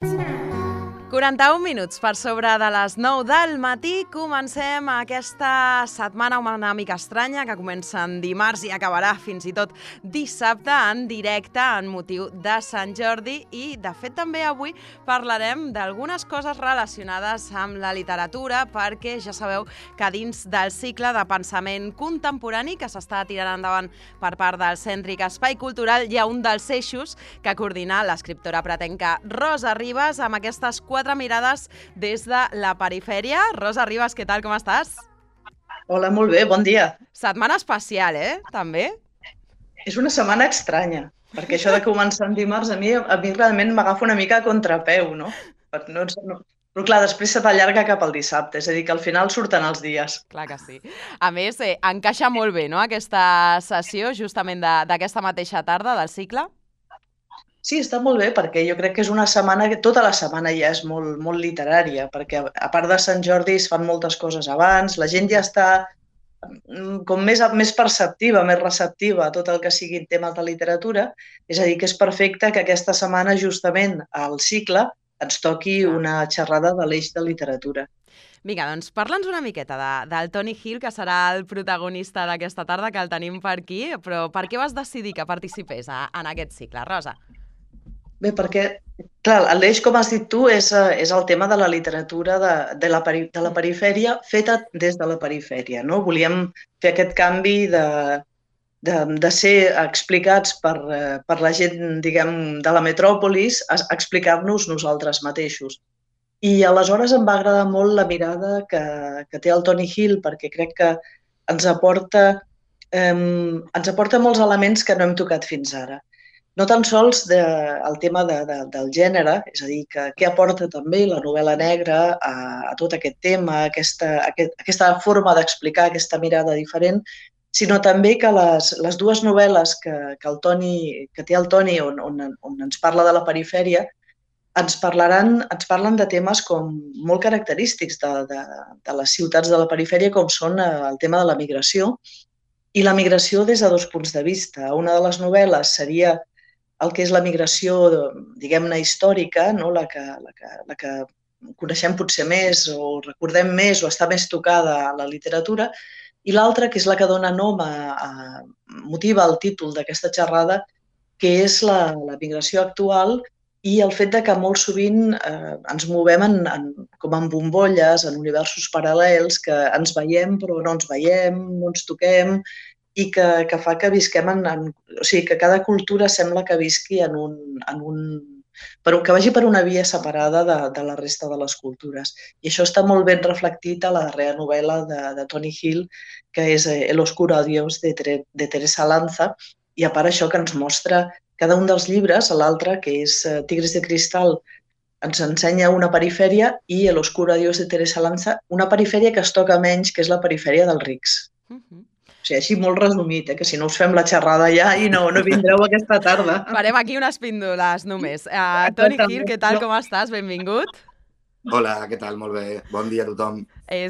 41 minuts per sobre de les 9 del matí. Comencem aquesta setmana una mica estranya que comença en dimarts i acabarà fins i tot dissabte en directe en motiu de Sant Jordi i, de fet, també avui parlarem d'algunes coses relacionades amb la literatura perquè ja sabeu que dins del cicle de pensament contemporani que s'està tirant endavant per part del Cèntric Espai Cultural hi ha un dels eixos que coordina l'escriptora pretenca Rosa Ribas amb aquestes 4 mirades des de la perifèria. Rosa Ribas, què tal, com estàs? Hola, molt bé, bon dia. Setmana especial, també? És una setmana estranya, perquè això de començar en dimarts a mi realment m'agafa una mica a contrapeu, no? Però clar, després se t'allarga cap al dissabte, és a dir, que al final surten els dies. Clar que sí. A més, encaixa molt bé, no?, aquesta sessió justament d'aquesta mateixa tarda del cicle. Sí, està molt bé, perquè jo crec que és una setmana que tota la setmana ja és molt, molt literària, perquè a part de Sant Jordi es fan moltes coses abans, la gent ja està com més perceptiva, més receptiva a tot el que siguin temes de literatura, és a dir, que és perfecte que aquesta setmana justament al cicle ens toqui una xerrada de l'eix de literatura. Vinga, doncs parla'ns una miqueta del Tony Hill, que serà el protagonista d'aquesta tarda, que el tenim per aquí, però per què vas decidir que participés en aquest cicle, Rosa? Bé, perquè, clar, l'eix, com has dit tu, és el tema de la literatura de la perifèria feta des de la perifèria, no? Volíem fer aquest canvi de ser explicats per la gent, diguem, de la metròpolis, a explicar-nos nosaltres mateixos. I aleshores em va agradar molt la mirada que té el Tony Hill, perquè crec que ens aporta molts elements que no hem tocat fins ara. No tan sols el tema del gènere, és a dir, que què aporta també la novel·la negra a tot aquest tema, aquesta forma d'explicar, aquesta mirada diferent, sinó també que les dues novel·les que té el Toni, on ens parla de la perifèria, ens parlen de temes com molt característics de les ciutats de la perifèria, com són el tema de la migració, i la migració des de dos punts de vista. Una de les novel·les seria el que és la migració, diguem-ne, històrica, no? la que coneixem potser més o recordem més o està més tocada a la literatura, i l'altra, que és la que dona nom motiva el títol d'aquesta xerrada, que és la migració actual i el fet que molt sovint ens movem com en bombolles, en universos paral·lels, que ens veiem però no ens veiem, no ens toquem, i que fa que visquem o sigui, que cada cultura sembla que visqui que vagi per una via separada de la resta de les cultures. I això està molt ben reflectit a la darrera novel·la de Tony Hill, que és El oscuro adiós, de Teresa Lanza, i a part això que ens mostra cada un dels llibres, l'altre, que és Tigres de cristal, ens ensenya una perifèria, i El oscuro adiós, de Teresa Lanza, una perifèria que es toca menys, que és la perifèria dels rics. O sigui, així molt resumit, que si no us fem la xerrada ja i no vindreu aquesta tarda. Farem aquí unes píndoles només. Tony Hill, què tal, com estàs? Benvingut. Hola, què tal? Molt bé. Bon dia a tothom. El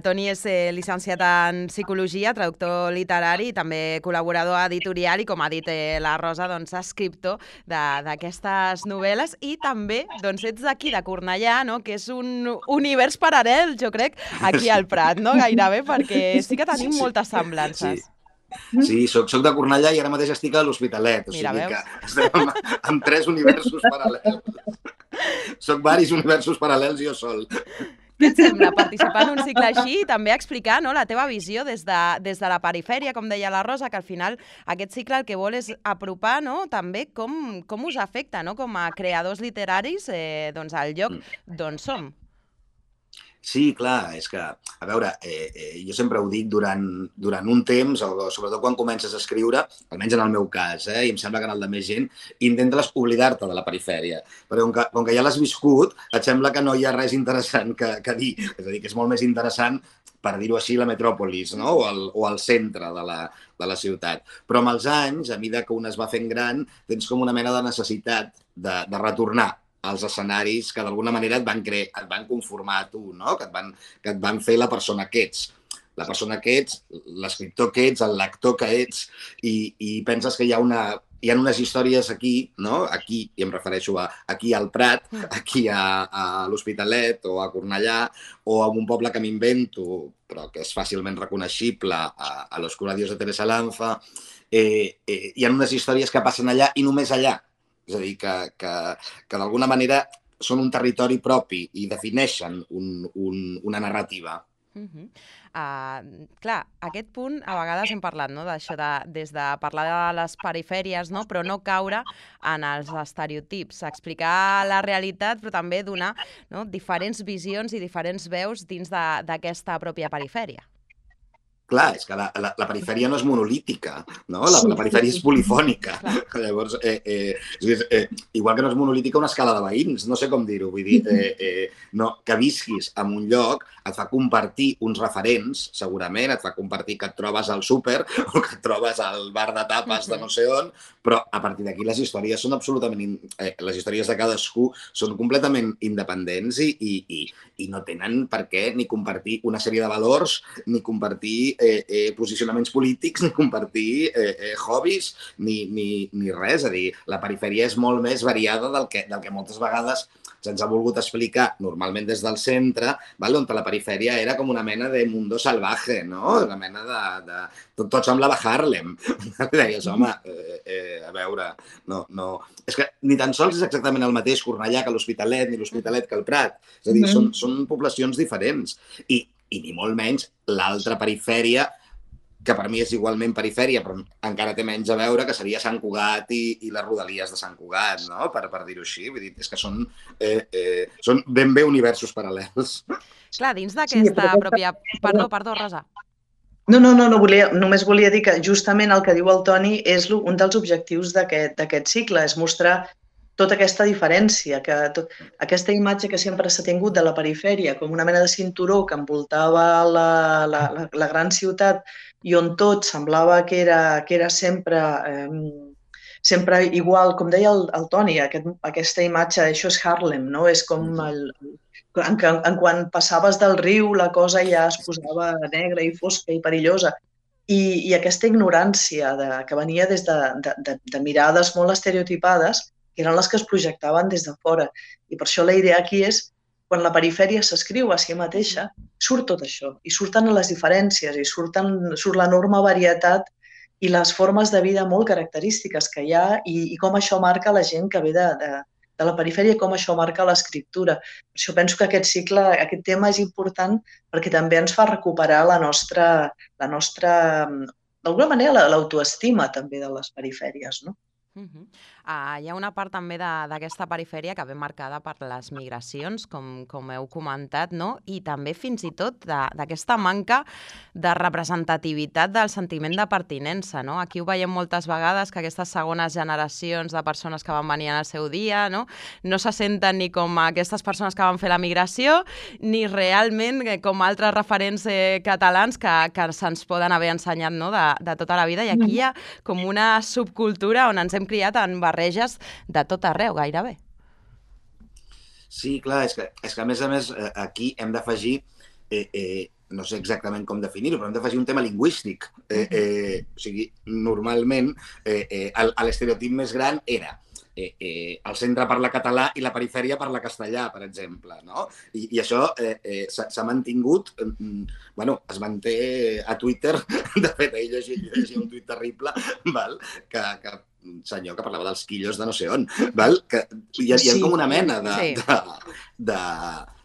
Toni és llicenciat en Psicologia, traductor literari i també col·laborador editorial i, com ha dit la Rosa, doncs, escriptor d'aquestes novel·les i també doncs, ets d'aquí, de Cornellà, no? Que és un univers paral·lel, jo crec, aquí al Prat, no? Gairebé, perquè sí que tenim moltes semblances. Sí, soc de Cornellà i ara mateix estic a l'Hospitalet, o sigui que estem en 3 universos paral·lels. Soc varis universos paral·lels jo sol. Què et sembla participar en un cicle així i també explicar, no, la teva visió des de la perifèria, com deia la Rosa, que al final aquest cicle el que vol és apropar, no, també com us afecta, no, com a creadors literaris, doncs al lloc d'on som? Sí, clar, és que, a veure, jo sempre ho dic durant un temps, sobretot quan comences a escriure, almenys en el meu cas, i em sembla que en el de més gent, intentes oblidar-te de la perifèria. Perquè com que ja l'has viscut, et sembla que no hi ha res interessant que dir. És a dir, que és molt més interessant, per dir-ho així, la metròpolis, no? O el centre de la ciutat. Però amb els anys, a mesura que un es va fent gran, tens com una mena de necessitat de retornar als escenaris que d'alguna manera et van conformar a tu, no? Que et van fer la persona que ets. La persona que ets, l'escriptor que ets, el lector que ets, i penses que hi ha hi ha unes històries aquí, no? Aquí, i em refereixo aquí al Prat, aquí a l'Hospitalet o a Cornellà, o a un poble que m'invento, però que és fàcilment reconeixible, a Los Curadios de Teresa Lanza. Hi ha unes històries que passen allà i només allà. És a dir, que d'alguna manera són un territori propi i defineixen una narrativa. Clar, aquest punt a vegades hem parlat, no?, d'això des de parlar de les perifèries, no?, però no caure en els estereotips, explicar la realitat però també donar, no?, diferents visions i diferents veus dins d'aquesta pròpia perifèria. Clar, és que la perifèria no és monolítica, no? La perifèria és polifònica. Llavors, igual que no és monolítica una escala de veïns, no sé com dir-ho, vull dir, que visquis en un lloc et fa compartir uns referents, segurament, et fa compartir que et trobes al súper o que et trobes al bar de tapes de no sé on, però a partir d'aquí les històries són absolutament... Les històries de cadascú són completament independents i no tenen per què ni compartir una sèrie de valors, ni compartir posicionaments polítics, ni compartir hobbies, ni res. És a dir, la perifèria és molt més variada del que moltes vegades se'ns ha volgut explicar normalment des del centre, on la perifèria era com una mena de mundo salvaje, no? Una mena de... Tot semblava Harlem. Deies, home, a veure, no... És que ni tan sols és exactament el mateix Cornellà que l'Hospitalet, ni l'Hospitalet que el Prat. És a dir, són poblacions diferents. I ni molt menys l'altra perifèria, que per mi és igualment perifèria, però encara té menys a veure, que seria Sant Cugat i les rodalies de Sant Cugat, no? Per dir-ho així. Vull dir, és que són ben bé universos paral·lels. Clar, dins d'aquesta pròpia... Perdó, Rosa. No, només volia dir que justament el que diu el Toni és un dels objectius d'aquest cicle, és mostrar tota aquesta diferència, aquesta imatge que sempre s'ha tingut de la perifèria com una mena de cinturó que envoltava la gran ciutat i on tot semblava que era sempre igual, com deia el Toni, aquesta imatge, això és Harlem, no? És com en quan passaves del riu la cosa ja es posava negra i fosca i perillosa. I aquesta ignorància que venia des de mirades molt estereotipades, que eren les que es projectaven des de fora. I per això la idea aquí és, quan la perifèria s'escriu a si mateixa, surt tot això, i surten les diferències, i surt l'enorme varietat i les formes de vida molt característiques que hi ha i com això marca la gent que ve de la perifèria i com això marca l'escriptura. Per això penso que aquest cicle, aquest tema és important perquè també ens fa recuperar la nostra d'alguna manera, l'autoestima també de les perifèries, no? Hi ha una part també d'aquesta perifèria que ve marcada per les migracions, com heu comentat, no? I també fins i tot d'aquesta manca de representativitat del sentiment de pertinença, no? Aquí ho veiem moltes vegades, que aquestes segones generacions de persones que van venir en el seu dia, no se senten ni com aquestes persones que van fer la migració, ni realment com altres referents catalans que se'ns poden haver ensenyat, no? de tota la vida. I aquí hi ha com una subcultura on ens hem criat en barreges de tot arreu, gairebé. Sí, clar, és que a més aquí hem d'afegir, no sé exactament com definir-ho, però hem d'afegir un tema lingüístic. O sigui, normalment l'estereotip més gran era el centre parla català i la perifèria parla castellà, per exemple, no? I això s'ha mantingut, es manté a Twitter. De fet, ahir llegia un tuit terrible, que un senyor que parlava dels quillos de no sé on, que hi ha com una mena de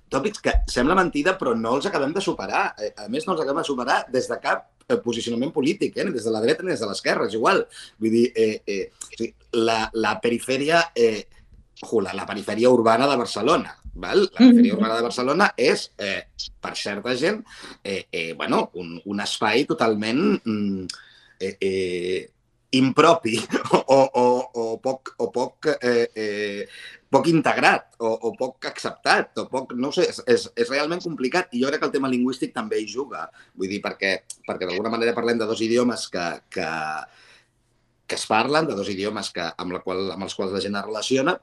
tòpics que sembla mentida, però no els acabem de superar. A més, no els acabem de superar des de cap posicionament polític, ni des de la dreta ni des de l'esquerra, és igual. Vull dir, la perifèria, la perifèria urbana de Barcelona, la perifèria urbana de Barcelona és, per certa gent, un espai totalment impropi o poc integrat o poc acceptat o poc, no ho sé, és realment complicat i jo crec que el tema lingüístic també hi juga, vull dir, perquè d'alguna manera parlem de dos idiomes que es parlen, de dos idiomes amb els quals la gent es relaciona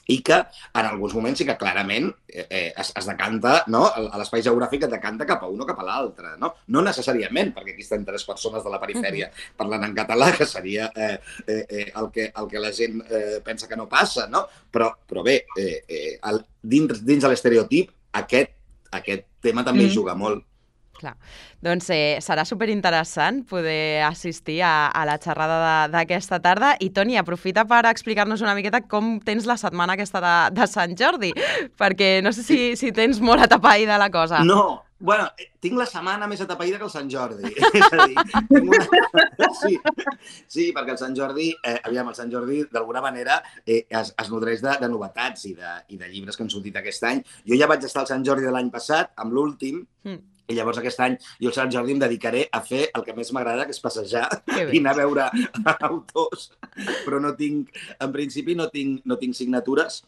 i que en alguns moments sí que clarament es decanta, no? A l'espai geogràfic es decanta cap a un o cap a l'altre, no? No necessàriament, perquè aquí estan 3 persones de la perifèria parlant en català, que seria el que la gent pensa que no passa, no? Però bé, dins de l'estereotip, aquest tema també hi juga molt. Clar. Doncs serà superinteressant poder assistir a la xerrada d'aquesta tarda. I, Toni, aprofita per explicar-nos una miqueta com tens la setmana aquesta de Sant Jordi, perquè no sé si tens molt atapeïda la cosa. No, bueno, tinc la setmana més atapeïda que el Sant Jordi. És a dir, sí, perquè el Sant Jordi, el Sant Jordi d'alguna manera es nodreix de novetats i de llibres que han sortit aquest any. Jo ja vaig estar al Sant Jordi de l'any passat, amb l'últim, i llavors aquest any jo al Sant Jordi em dedicaré a fer el que més m'agrada, que és passejar i anar a veure autors. Però en principi no tinc signatures.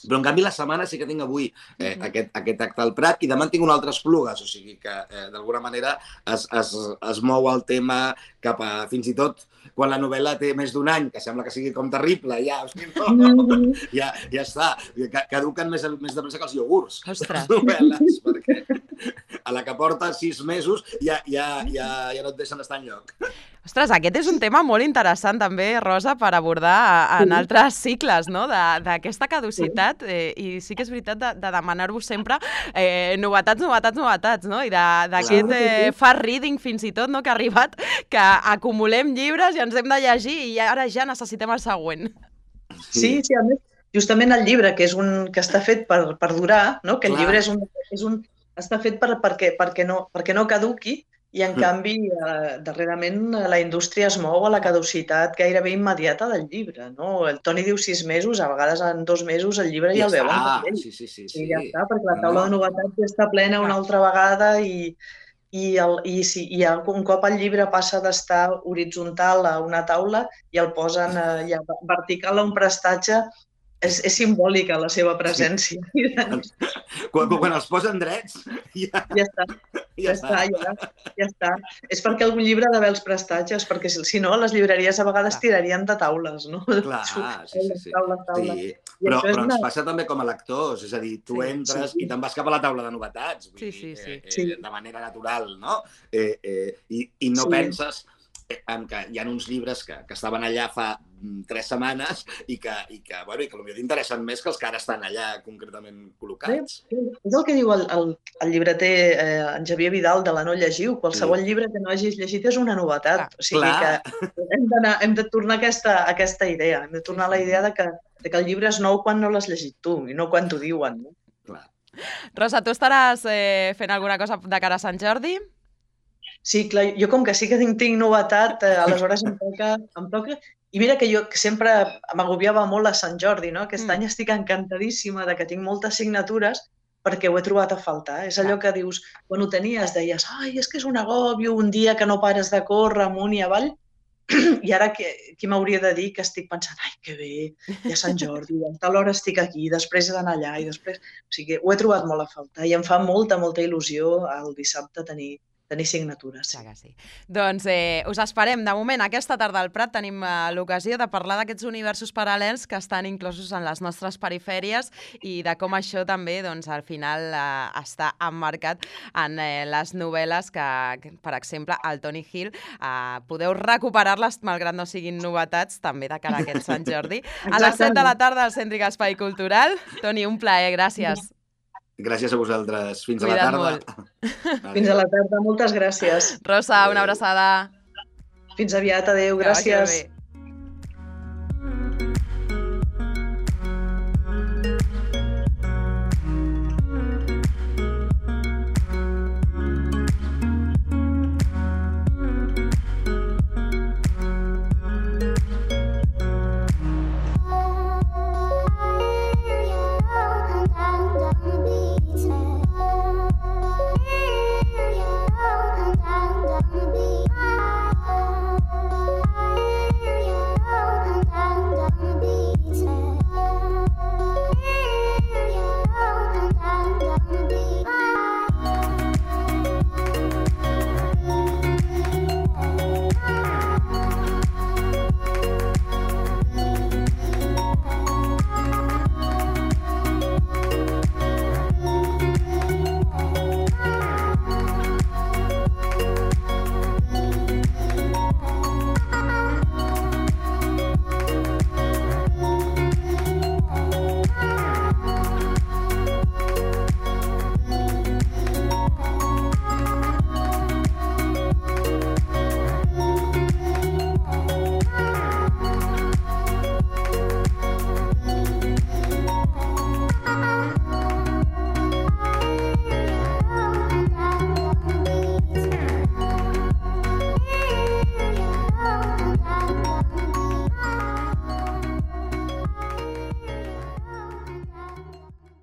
Però, en canvi, la setmana sí que tinc avui aquest acte al Prat i demà en tinc un altre Esplugues, o sigui que, d'alguna manera, es mou el tema cap a, fins i tot, quan la novel·la té més d'un any, que sembla que sigui com terrible, ja està, caduquen més de pressa que els iogurts. Ostres! Les novel·les, perquè a la que porta 6 mesos ja no et deixen estar enlloc. Ostres, aquest és un tema molt interessant també, Rosa, per abordar en altres cicles, no?, d'aquesta caducitat. I sí que és veritat de demanar-vos sempre novetats, no? I d'aquest fast reading fins i tot, no?, que ha arribat, que acumulem llibres i ens hem de llegir i ara ja necessitem el següent. Sí, a més, justament el llibre, que està fet per durar, no?, que el llibre està fet perquè no caduqui, i, en canvi, darrerament la indústria es mou a la caducitat gairebé immediata del llibre, no? El Toni diu 6 mesos, a vegades en 2 mesos el llibre ja el veuen. Sí. Ja està, perquè la taula de novetats ja està plena una altra vegada i un cop el llibre passa d'estar horitzontal a una taula i el posen ja vertical a un prestatge, és simbòlica la seva presència. Quan els posen drets, ja està. És perquè algun llibre ha d'haver els prestatges, perquè si no, les llibreries a vegades tirarien de taules, no? Clar, sí. Però ens passa també com a lectors, és a dir, tu entres i te'n vas cap a la taula de novetats, de manera natural, no? I no penses en que hi ha uns llibres que estaven allà fa 3 setmanes i que potser t'interessen més que els que ara estan allà concretament col·locats. És el que diu el llibreter en Xavier Vidal de la No Llegiu. Qualsevol llibre que no hagis llegit és una novetat. O sigui que hem de tornar a aquesta idea. Hem de tornar a la idea de que el llibre és nou quan no l'has llegit tu i no quan t'ho diuen. Clar. Rosa, tu estaràs fent alguna cosa de cara a Sant Jordi? Sí, clar, jo com que sí que tinc novetat, aleshores em toca. I mira que jo sempre m'agobiava molt a Sant Jordi, no? Aquest any estic encantadíssima de que tinc moltes signatures perquè ho he trobat a faltar. És allò que dius, quan ho tenies deies, ai, és que és un agòbio, un dia que no pares de córrer amunt i avall, i ara qui m'hauria de dir que estic pensant, ai, que bé, ja Sant Jordi, a tal hora estic aquí, després he d'anar allà, i després... O sigui, ho he trobat molt a faltar i em fa molta il·lusió el dissabte tenir signatures. Clar que sí. Doncs us esperem. De moment, aquesta tarda al Prat tenim l'ocasió de parlar d'aquests universos paral·lels que estan inclosos en les nostres perifèries i de com això també, doncs, al final està emmarcat en les novel·les que, per exemple, el Toni Gil, podeu recuperar-les, malgrat no siguin novetats, també de cara a aquest Sant Jordi. A les 7 de la tarda al Cèntric Espai Cultural. Toni, un plaer, gràcies. Gràcies a vosaltres. Fins a la tarda. Fins a la tarda. Moltes gràcies. Rosa, una abraçada. Fins aviat. Adéu. Gràcies.